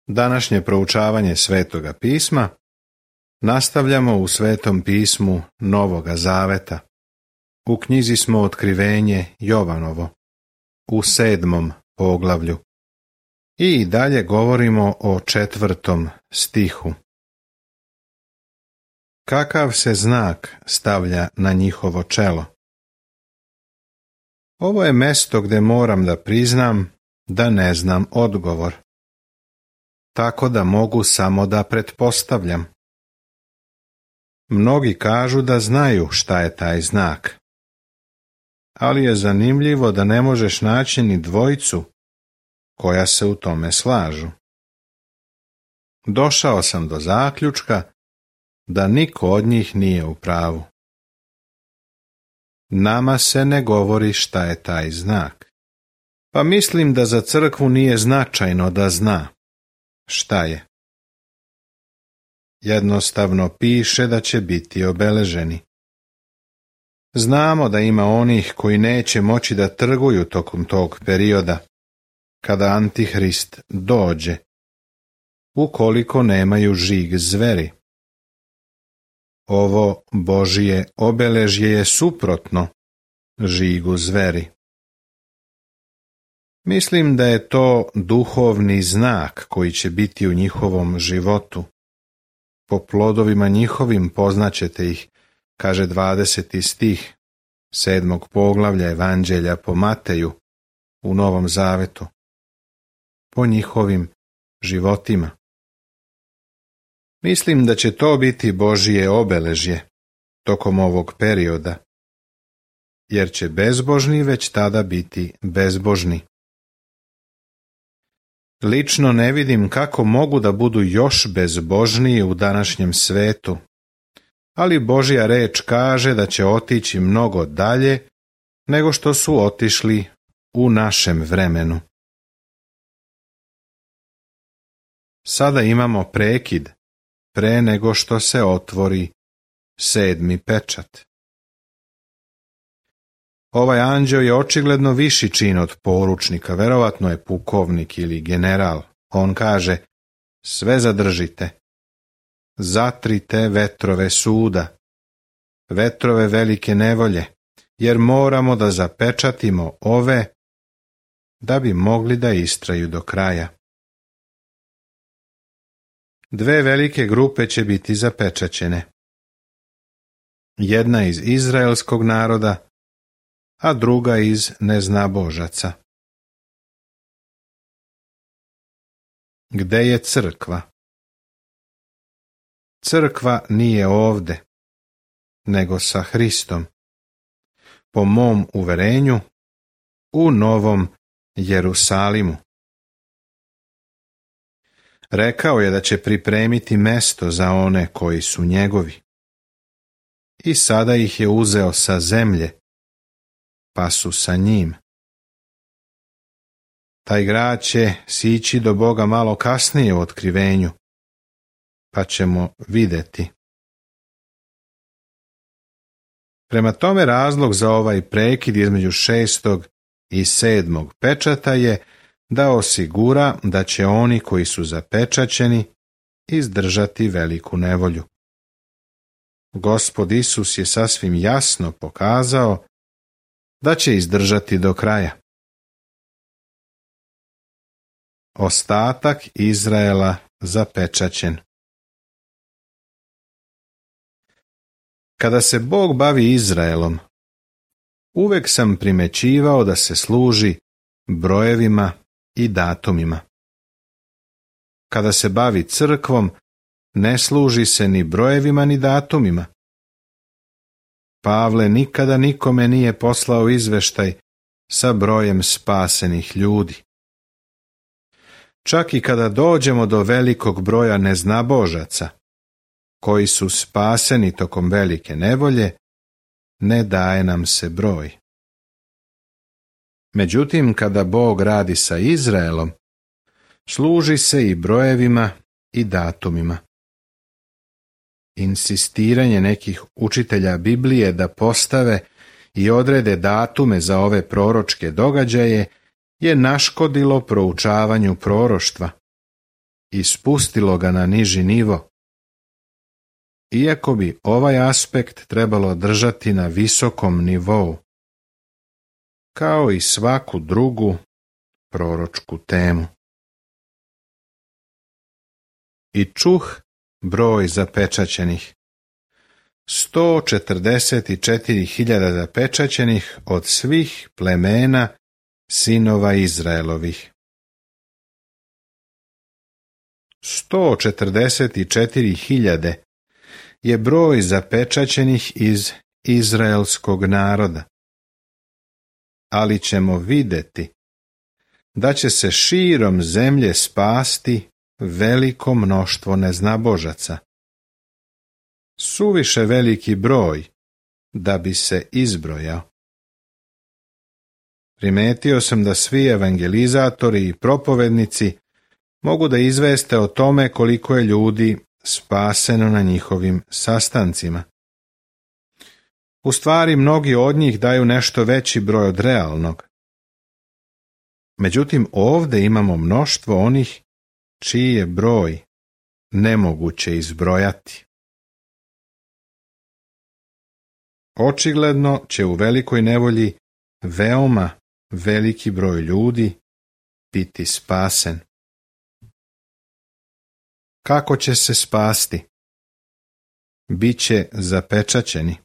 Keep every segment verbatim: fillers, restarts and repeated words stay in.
Današnje proučavanje Svetoga pisma nastavljamo u Svetom pismu Novoga Zaveta. U knjizi smo Otkrivenje Jovanovo, u sedmom poglavlju. I dalje govorimo o četvrtom stihu. Kakav se znak stavlja na njihovo čelo? Ovo je mesto gdje moram da priznam da ne znam odgovor, tako da mogu samo da pretpostavljam. Mnogi kažu da znaju šta je taj znak, ali je zanimljivo da ne možeš naći ni dvojicu koja se u tome slažu. Došao sam do zaključka da niko od njih nije u pravu. Nama se ne govori šta je taj znak, pa mislim da za crkvu nije značajno da zna šta je. Jednostavno piše da će biti obeleženi. Znamo da ima onih koji neće moći da trguju tokom tog perioda, kada Antihrist dođe, ukoliko nemaju žig zveri. Ovo Božije obeležje je suprotno žigu zveri. Mislim da je to duhovni znak koji će biti u njihovom životu. Po plodovima njihovim poznaćete ih, kaže dvadeseti stih sedmog poglavlja Evanđelja po Mateju u Novom Zavetu. Po njihovim životima. Mislim da će to biti Božije obeležje tokom ovog perioda, jer će bezbožni već tada biti bezbožni. Lično ne vidim kako mogu da budu još bezbožniji u današnjem svetu, ali Božja reč kaže da će otići mnogo dalje nego što su otišli u našem vremenu. Sada imamo prekid pre nego što se otvori sedmi pečat. Ovaj anđeo je očigledno viši čin od poručnika, verovatno je pukovnik ili general. On kaže, sve zadržite, zatrite vetrove suda, vetrove velike nevolje, jer moramo da zapečatimo ove da bi mogli da istraju do kraja. Dve velike grupe će biti zapečaćene. Jedna iz izraelskog naroda, a druga iz neznabožaca. Gde je crkva? Crkva nije ovde, nego sa Hristom. Po mom uverenju, u Novom Jerusalimu. Rekao je da će pripremiti mesto za one koji su njegovi. I sada ih je uzeo sa zemlje, pa su sa njim. Taj grad će sići do Boga malo kasnije u otkrivenju, pa ćemo videti. Prema tome razlog za ovaj prekid između šestog i sedmog pečata je da osigura da će oni koji su zapečaćeni izdržati veliku nevolju. Gospod Isus je sasvim jasno pokazao da će izdržati do kraja. Ostatak Izraela zapečaćen. Kada se Bog bavi Izraelom, uvek sam primećivao da se služi brojevima i datumima. Kada se bavi crkvom, ne služi se ni brojevima ni datumima. Pavle nikada nikome nije poslao izveštaj sa brojem spasenih ljudi. Čak i kada dođemo do velikog broja neznabožaca, koji su spaseni tokom velike nevolje, ne daje nam se broj. Međutim, kada Bog radi sa Izraelom, služi se i brojevima i datumima. Insistiranje nekih učitelja Biblije da postave i odrede datume za ove proročke događaje je naškodilo proučavanju proroštva, i spustilo ga na niži nivo. Iako bi ovaj aspekt trebalo držati na visokom nivou, kao i svaku drugu proročku temu. I čuh broj zapečaćenih. sto četrdeset četiri hiljade zapečaćenih od svih plemena sinova Izraelovih. sto četrdeset četiri hiljade je broj zapečaćenih iz izraelskog naroda. Ali ćemo vidjeti da će se širom zemlje spasti veliko mnoštvo neznabožaca. Suviše veliki broj da bi se izbrojao. Primetio sam da svi evangelizatori i propovednici mogu da izveste o tome koliko je ljudi spaseno na njihovim sastancima. U stvari, mnogi od njih daju nešto veći broj od realnog. Međutim, ovdje imamo mnoštvo onih čiji je broj nemoguće izbrojati. Očigledno će u velikoj nevolji veoma veliki broj ljudi biti spasen. Kako će se spasti? Biće zapečaćeni.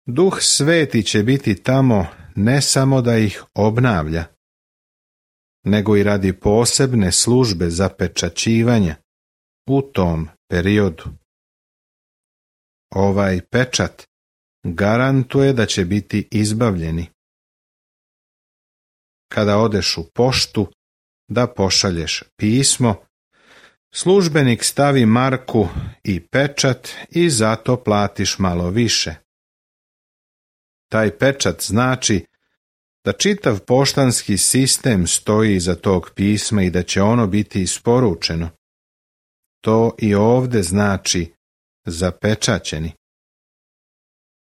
Duh Sveti će biti tamo ne samo da ih obnavlja, nego i radi posebne službe zapečaćivanja u tom periodu. Ovaj pečat garantuje da će biti izbavljeni. Kada odeš u poštu da pošalješ pismo, službenik stavi marku i pečat i zato platiš malo više. Taj pečat znači da čitav poštanski sistem stoji iza tog pisma i da će ono biti isporučeno. To i ovdje znači zapečaćeni.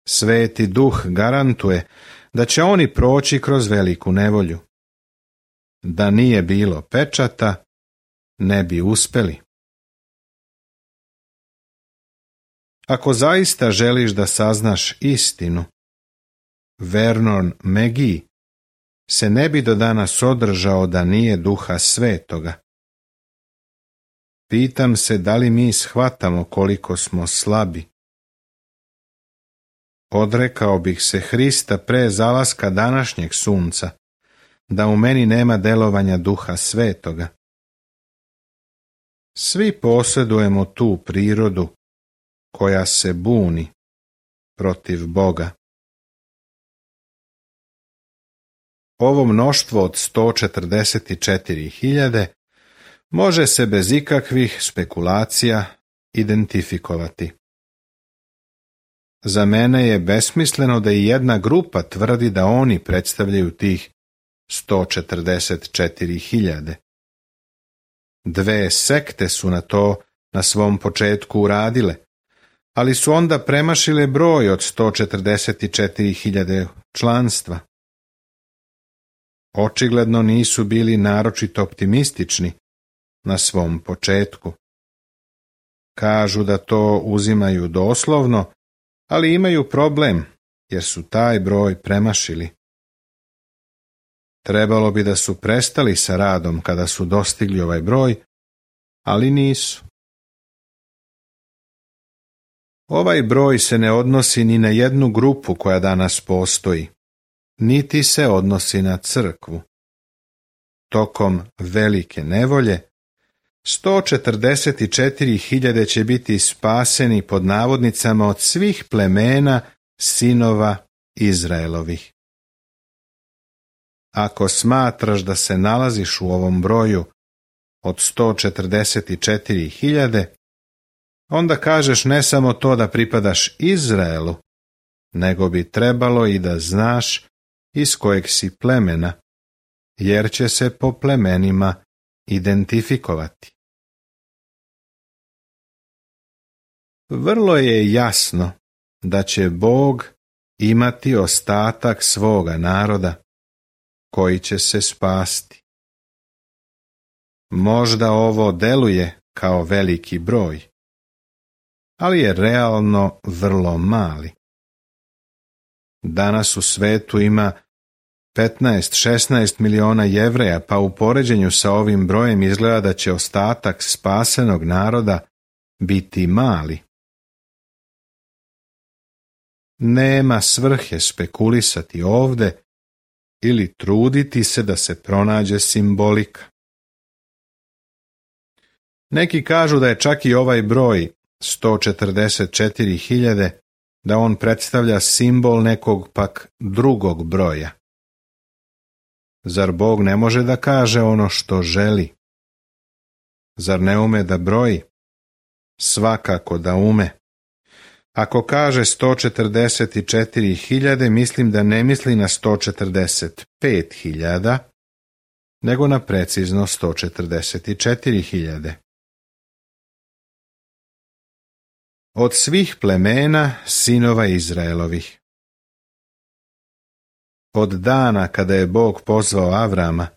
Sveti Duh garantuje da će oni proći kroz veliku nevolju. Da nije bilo pečata, ne bi uspeli. Ako zaista želiš da saznaš istinu, Vernon McGee se ne bi do danas održao da nije Duha Svetoga. Pitam se da li mi shvatamo koliko smo slabi. Odrekao bih se Hrista pre zalaska današnjeg sunca, da u meni nema delovanja Duha Svetoga. Svi posjedujemo tu prirodu koja se buni protiv Boga. Ovo mnoštvo od sto četrdeset četiri hiljade može se bez ikakvih spekulacija identifikovati. Za mene je besmisleno da i jedna grupa tvrdi da oni predstavljaju tih sto četrdeset četiri hiljade. Dve sekte su na to na svom početku uradile, ali su onda premašile broj od sto četrdeset četiri hiljade članstva. Očigledno nisu bili naročito optimistični na svom početku. Kažu da to uzimaju doslovno, ali imaju problem jer su taj broj premašili. Trebalo bi da su prestali sa radom kada su dostigli ovaj broj, ali nisu. Ovaj broj se ne odnosi ni na jednu grupu koja danas postoji, niti se odnosi na crkvu. Tokom velike nevolje, sto četrdeset četiri hiljade će biti spaseni pod navodnicama od svih plemena sinova Izraelovih. Ako smatraš da se nalaziš u ovom broju od sto četrdeset četiri hiljade, onda kažeš ne samo to da pripadaš Izraelu, nego bi trebalo i da znaš iz kojeg si plemena, jer će se po plemenima identifikovati. Vrlo je jasno da će Bog imati ostatak svoga naroda koji će se spasti. Možda ovo deluje kao veliki broj, ali je realno vrlo mali. Danas u svetu ima petnaest do šesnaest miliona Jevreja, pa u poređenju sa ovim brojem izgleda da će ostatak spasenog naroda biti mali. Nema svrhe spekulisati ovde ili truditi se da se pronađe simbolika. Neki kažu da je čak i ovaj broj sto četrdeset četiri hiljade, da on predstavlja simbol nekog pak drugog broja. Zar Bog ne može da kaže ono što želi? Zar ne ume da broji? Svakako da ume. Ako kaže sto četrdeset četiri hiljade, mislim da ne misli na sto četrdeset pet hiljada, nego na precizno sto četrdeset četiri hiljade. Od svih plemena sinova Izraelovih. Od dana kada je Bog pozvao Avrama,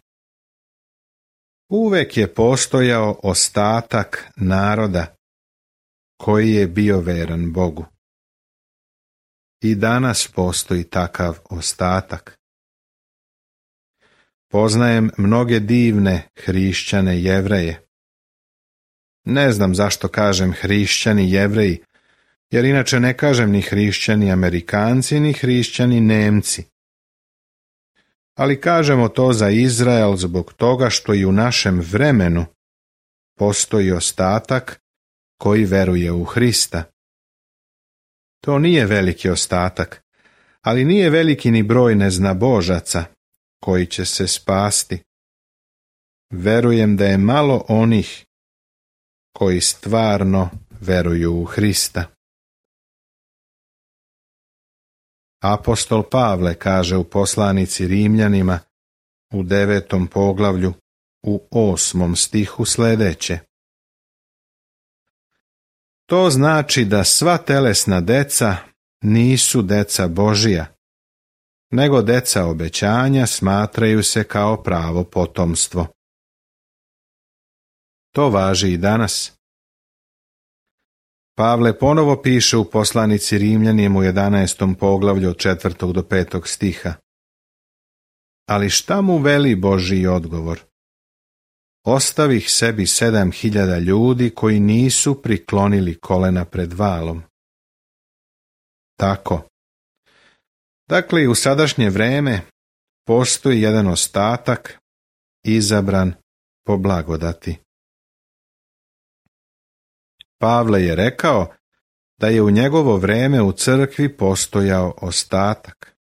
uvek je postojao ostatak naroda koji je bio veran Bogu. I danas postoji takav ostatak. Poznajem mnoge divne hrišćane Jevreje. Ne znam zašto kažem hrišćani Jevreji, jer inače ne kažem ni hrišćani Amerikanci, ni hrišćani Nemci. Ali kažemo to za Izrael zbog toga što i u našem vremenu postoji ostatak koji veruje u Hrista. To nije veliki ostatak, ali nije veliki ni broj neznabožaca koji će se spasti. Verujem da je malo onih koji stvarno veruju u Hrista. Apostol Pavle kaže u poslanici Rimljanima u devetom poglavlju u osmom stihu sljedeće: To znači da sva telesna deca nisu deca Božija, nego deca obećanja smatraju se kao pravo potomstvo. To važi i danas. Pavle ponovo piše u poslanici Rimljanima u jedanaestom poglavlju od četvrtog do petog stiha. Ali šta mu veli Božji odgovor? Ostavih sebi sedam hiljada ljudi koji nisu priklonili kolena pred valom. Tako. Dakle, i u sadašnje vreme postoji jedan ostatak izabran po blagodati. Pavle je rekao da je u njegovo vreme u crkvi postojao ostatak.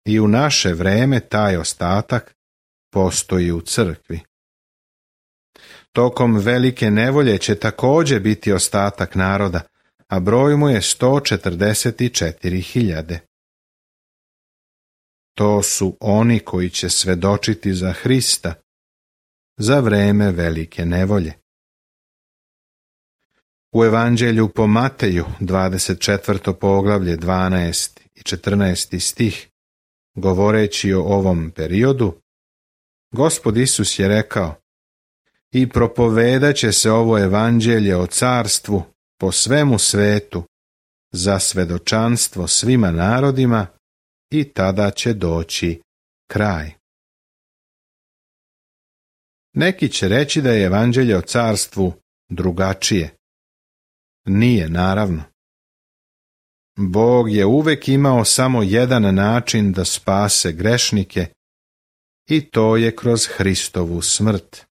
I u naše vreme taj ostatak postoji u crkvi. Tokom velike nevolje će također biti ostatak naroda, a broj mu je sto četrdeset četiri hiljade. To su oni koji će svedočiti za Hrista za vreme velike nevolje. U Evanđelju po Mateju, dvadeset četvrto poglavlje, dvanaesti i četrnaesti stih, govoreći o ovom periodu, Gospod Isus je rekao: I propovedat će se ovo evanđelje o carstvu po svemu svetu za svedočanstvo svima narodima i tada će doći kraj. Neki će reći da je evanđelje o carstvu drugačije. Nije, naravno. Bog je uvek imao samo jedan način da spase grešnike i to je kroz Hristovu smrt.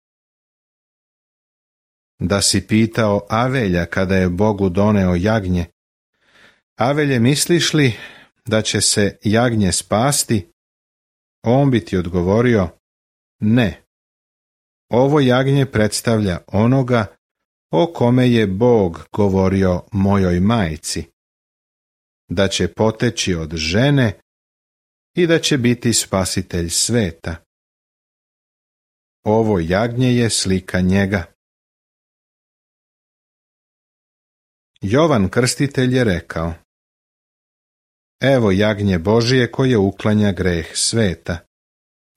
Da si pitao Avelja kada je Bogu doneo jagnje: Avelje, misliš li da će se jagnje spasti? On bi ti odgovorio: ne. Ovo jagnje predstavlja onoga o kome je Bog govorio mojoj majci, da će poteći od žene i da će biti spasitelj sveta. Ovo jagnje je slika njega. Jovan Krstitelj je rekao: Evo jagnje Božije koje uklanja greh sveta.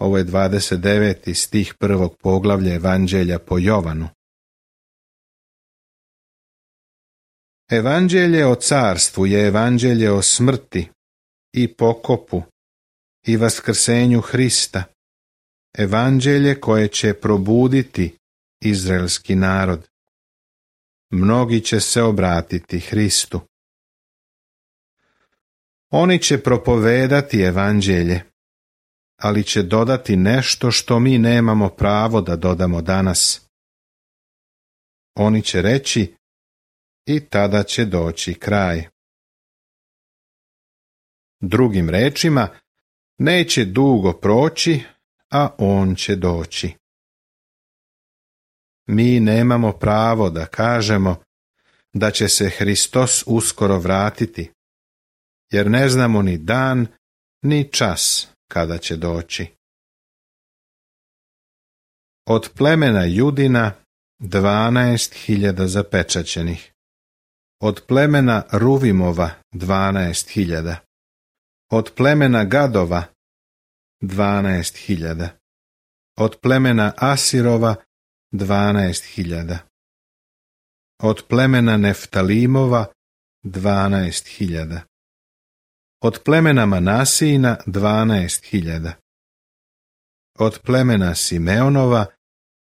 Ovo je dvadeset deveti stih prvog poglavlja Evanđelja po Jovanu. Evanđelje o carstvu je evanđelje o smrti i pokopu i vaskrsenju Hrista. Evanđelje koje će probuditi izraelski narod. Mnogi će se obratiti Hristu. Oni će propovedati evanđelje, ali će dodati nešto što mi nemamo pravo da dodamo danas. Oni će reći, i tada će doći kraj. Drugim rečima, neće dugo proći, a on će doći. Mi nemamo pravo da kažemo da će se Hristos uskoro vratiti, jer ne znamo ni dan, ni čas kada će doći. Od plemena Judina dvanaest hiljada zapečaćenih. Od plemena Ruvimova dvanaest hiljada. Od plemena Gadova dvanaest hiljada. Od plemena Asirova dvanaest hiljada. Od plemena Neftalimova dvanaest hiljada. Od plemena Manasijina dvanaest hiljada. Od plemena Simeonova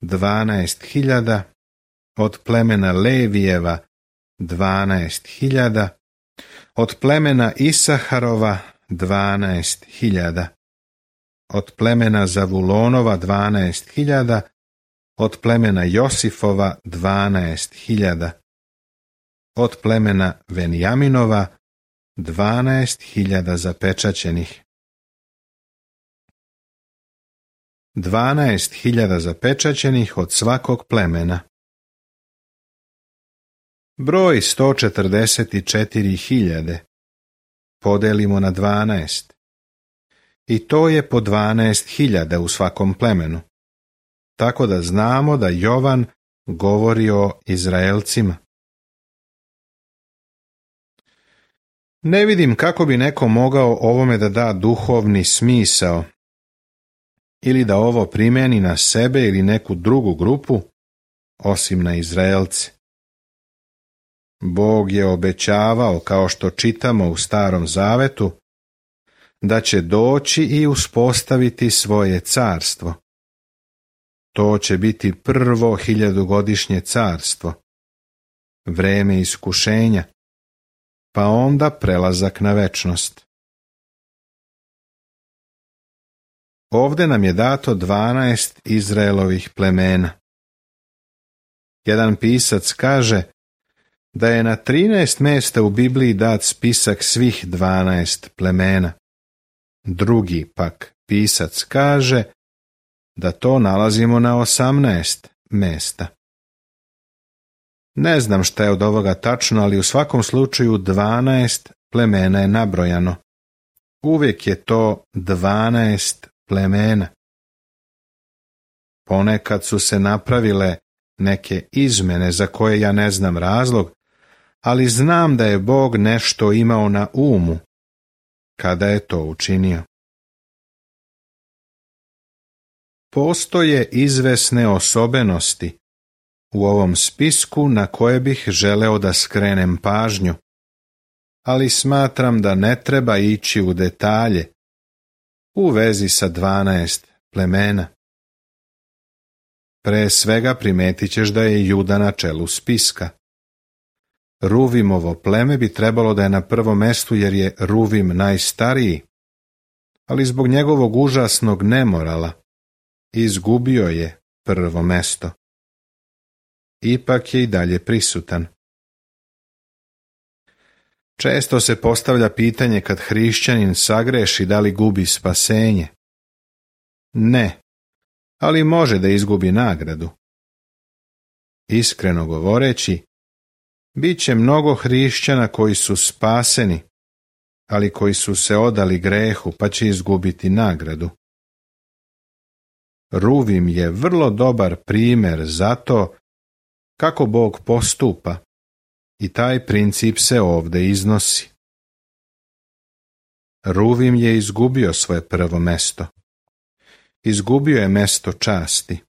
dvanaest hiljada. Od plemena Levijeva dvanaest hiljada. Od plemena Isaharova dvanaest hiljada. Od plemena Zavulonova dvanaest hiljada. Od plemena Josifova dvanaest hiljada. Od plemena Venjaminova dvanaest hiljada zapečaćenih. Dvanaest hiljada zapečaćenih od svakog plemena. Broj sto četrdeset četiri hiljade podelimo na dvanaest. I to je po dvanaest hiljada u svakom plemenu. Tako da znamo da Jovan govori o Izraelcima. Ne vidim kako bi neko mogao ovome da da duhovni smisao ili da ovo primeni na sebe ili neku drugu grupu, osim na Izraelce. Bog je obećavao, kao što čitamo u Starom Zavetu, da će doći i uspostaviti svoje carstvo. To će biti prvo hiljadugodišnje carstvo, vreme iskušenja, pa onda prelazak na večnost. Ovde nam je dato dvanaest Izraelovih plemena. Jedan pisac kaže da je na trinaest mesta u Bibliji dat spisak svih dvanaest plemena. Drugi pak pisac kaže da to nalazimo na osamnaest mesta. Ne znam šta je od ovoga tačno, ali u svakom slučaju dvanaest plemena je nabrojano. Uvijek je to dvanaest plemena. Ponekad su se napravile neke izmene za koje ja ne znam razlog, ali znam da je Bog nešto imao na umu kada je to učinio. Postoje izvesne osobenosti u ovom spisku na koje bih želeo da skrenem pažnju, ali smatram da ne treba ići u detalje u vezi sa dvanaest plemena. Pre svega primetit ćeš da je Juda na čelu spiska. Ruvimovo pleme bi trebalo da je na prvom mestu jer je Ruvim najstariji, ali zbog njegovog užasnog nemorala izgubio je prvo mesto. Ipak je i dalje prisutan. Često se postavlja pitanje kad hrišćanin sagreši da li gubi spasenje. Ne, ali može da izgubi nagradu. Iskreno govoreći, bit će mnogo hrišćana koji su spaseni, ali koji su se odali grehu pa će izgubiti nagradu. Ruvim je vrlo dobar primjer za to kako Bog postupa i taj princip se ovdje iznosi. Ruvim je izgubio svoje prvo mesto. izgubio je mesto časti,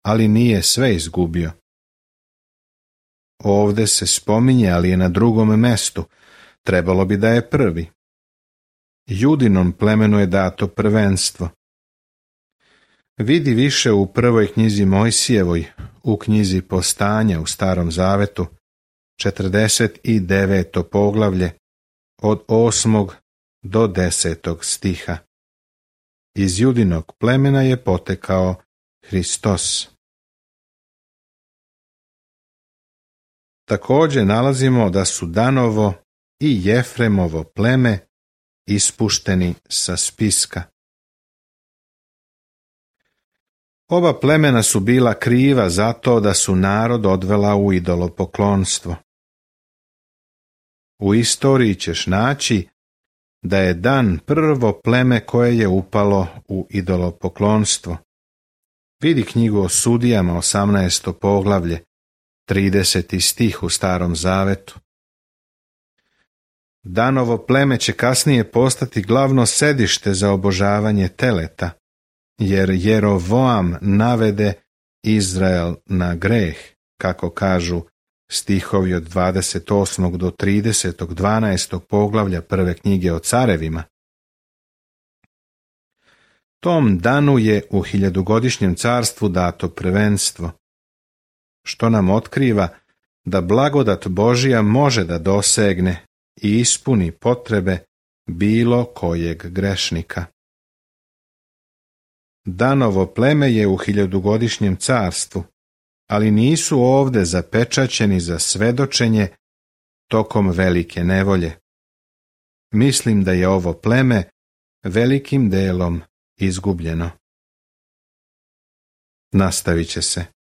ali nije sve izgubio. Ovde se spominje, ali je na drugom mestu, trebalo bi da je prvi. Judinom plemenu je dato prvenstvo. Vidi više u prvoj knjizi Mojsijevoj, u knjizi Postanja u Starom Zavetu, četrdeset deveto poglavlje, od osmog do desetog stiha. Iz Judinog plemena je potekao Hristos. Također nalazimo da su Danovo i Jefremovo pleme ispušteni sa spiska. Oba plemena su bila kriva zato da su narod odvela u idolopoklonstvo. U istoriji ćeš naći da je Dan prvo pleme koje je upalo u idolopoklonstvo. Vidi knjigu o sudijama, osamnaesto poglavlje, trideseti stih u Starom Zavetu. Danovo pleme će kasnije postati glavno sedište za obožavanje teleta, jer Jerovoam navede Izrael na greh, kako kažu stihovi od dvadeset osmog do tridesetog dvanaestog poglavlja prve knjige o carevima. Tom danu je u hiljadugodišnjem carstvu dato prvenstvo, što nam otkriva da blagodat Božija može da dosegne i ispuni potrebe bilo kojeg grešnika. Danovo pleme je u hiljadugodišnjem carstvu, ali nisu ovde zapečaćeni za svedočenje tokom velike nevolje. Mislim da je ovo pleme velikim delom izgubljeno. Nastavit će se.